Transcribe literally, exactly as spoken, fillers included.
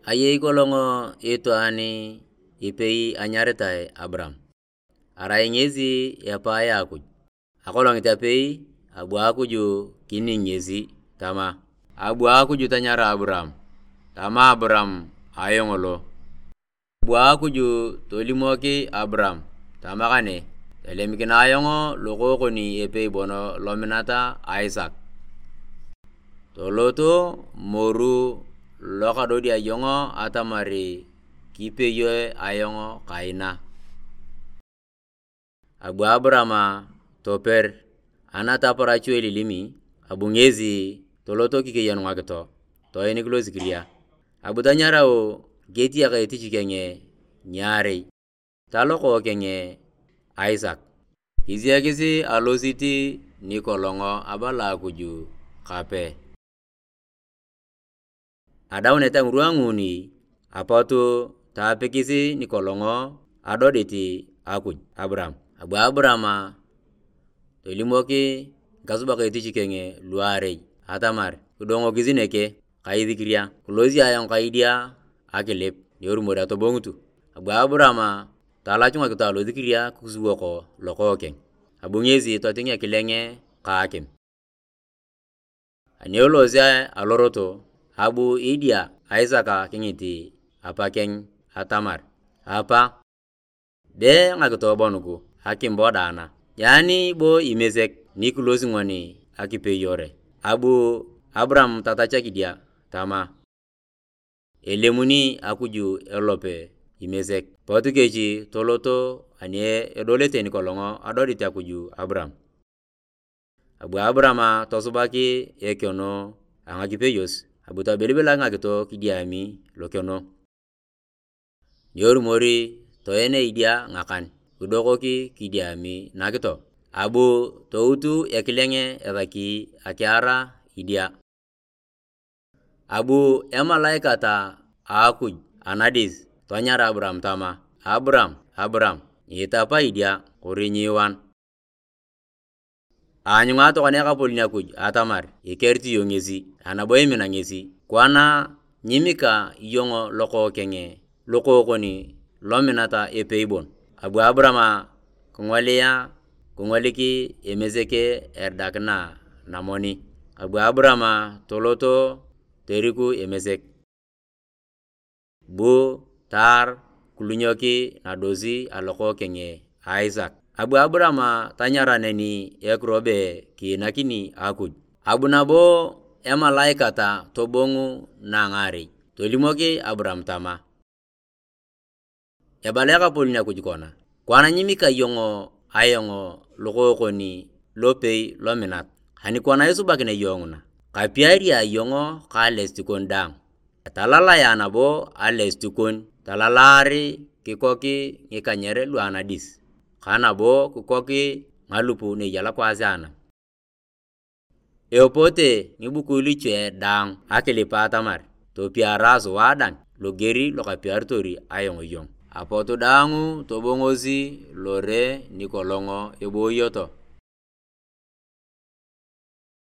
Ayei kolong itwaan ipei anyaritai Abram, arai ngesi epae a Akuj. Akolongit apei, abu Akuj kining ngesi tama, "Abu Akuj tanyara Abram." Tama Abram, "Ayong lo." Abu Akuj tolimok Abram tama, "Kane, tolemikina ayong lokokon epei bon lominat a Isak. Tolot moru lokadodi ayong atamar kipeyo ayong kaina." Abu Abram toper, anataparachu elilimi, abu ngesi tolot kikeyon ngakito, toenik losikiria. Abu tanyarau ketiak etich keng ngiarei, talokokeng Isak. Kisiakis alosit nikolong abala Akuj kape. Adaunet a ngirwa nguni, apot taapikis nikolong adodit Akuj Abram. Abu Abram tolimok ngikasubak etich keng luarei atamar kidongokis neke ka isikiria, kilosi ayong ka idia akilip, ni erumor atobongutu. Abu Abram talachu ngakito alosikiria kisuwok lokokeng, abu ngesi toting ekileng ka akim. Ani elosi alorot, abu idia Isak kingit apakeng atamar, "Apa, be ngakito bon nugu akim bo daana? Yaani bo imesek nikilosi ngoni akipeyore?" Abu Abram tatachak idia tama, "Elemuni Akuj elope imesek." Pot kech tolot ani edolete nikolong adodit Akuj Abram. Abu Abram tosubak ekeno a ngakipeyos, abu tobelibelak ngakito kidiami lokeno. Ni erumor, toen idia ngakan, kidokok kidiami nakito. Abu tout ekileng esaki akiar idia. Abu emalaikat a Akuj anadis tonyar Abram tama, "Abram, Abram!" Nyiitapa idia kori nyiiwan. Aanyunga tokona Ekapolon Akuj atamar ikerit iyong ngesi, anabo imina ngesi. Kwana nyimika iyong lokokeng lokokon lominat epei bon. Abu Abram kingolia, kingolik Emesek eridakina namoni. Abu Abram tolot toriku Emesek. Bu taar kilunyok nadosi alokokeng a Isak. Abu Abram tanyara neni ekiro be kiinakini Akuj. Abu nabo emalaikat tobongu nangaarei, tolimok Abram tama, "Ebala Ekapolon Akuj kona, kwana nyimika iyong ayong lokokon lopei lominat. Ani kwana isubakinea iyong nguna, kapiaria iyong ka alesit kon daang. Etalalaea nabo alesit kon, talalaar kikok ngikanyer lu anadis, ka nabo kikok ngalup na eya lokwaas a anam. Epote ngibukui luche daang akilip atamar topiara sua dang loger lokapiaritor ayong iyong." Apot daang tobongosi lore nikolong ebooyoto